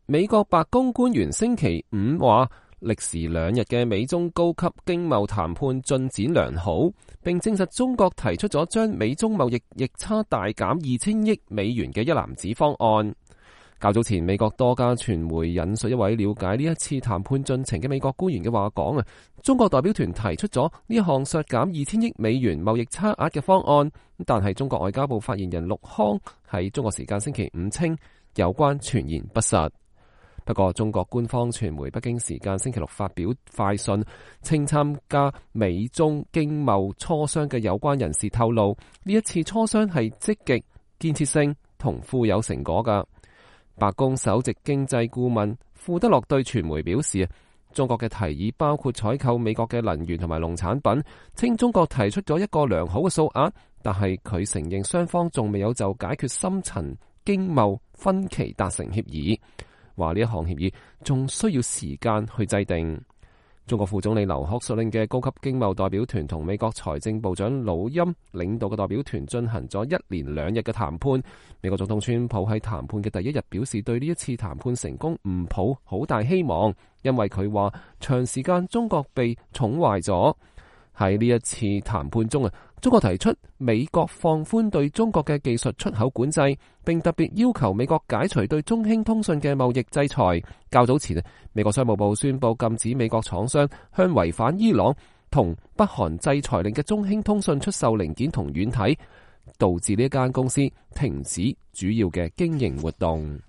美國白宮官員星期五話，歷時2日嘅美中高級經貿談判進展良好，並證實中國提出咗將美中貿易逆差大減2000億美元嘅一籃子方案。較早前，美國多家傳媒引述一位了解呢一次談判進程嘅美國官員嘅話講，中國代表團提出咗呢一項削減2000億美元貿易差額嘅方案，但係中國外交部發言人陸康喺中國時間星期五稱有關傳言不實。不過，中國官方傳媒北京時間星期六發表快訊，稱參加美中經貿磋商嘅有關人士透露，呢一次磋商係積極、建設性同富有成果㗎。白宮首席經濟顧問庫德洛對傳媒表示，中國嘅提議包括採購美國嘅能源同埋農產品，稱中國提出咗一個良好嘅數額，但係佢承認雙方仲未有就解決深層經貿分歧達成協議，話呢一項協議仲需要時間去制定。中國副總理劉鶴率領嘅高級經貿代表團同美國財政部長魯欽領導嘅代表團進行咗1連2日嘅談判。美國總統川普喺談判嘅第1日表示，對呢一次談判成功唔抱好大希望，因為佢話長時間中國被寵壞咗。喺呢一次談判中中國提出美國放寬對中國嘅技術出口管制，並特別要求美國解除對中興通訊嘅貿易制裁。較早前美國商務部宣布禁止美國廠商向違反伊朗同北韓制裁令嘅中興通訊出售零件同軟體，導致呢間公司停止主要嘅經營活動。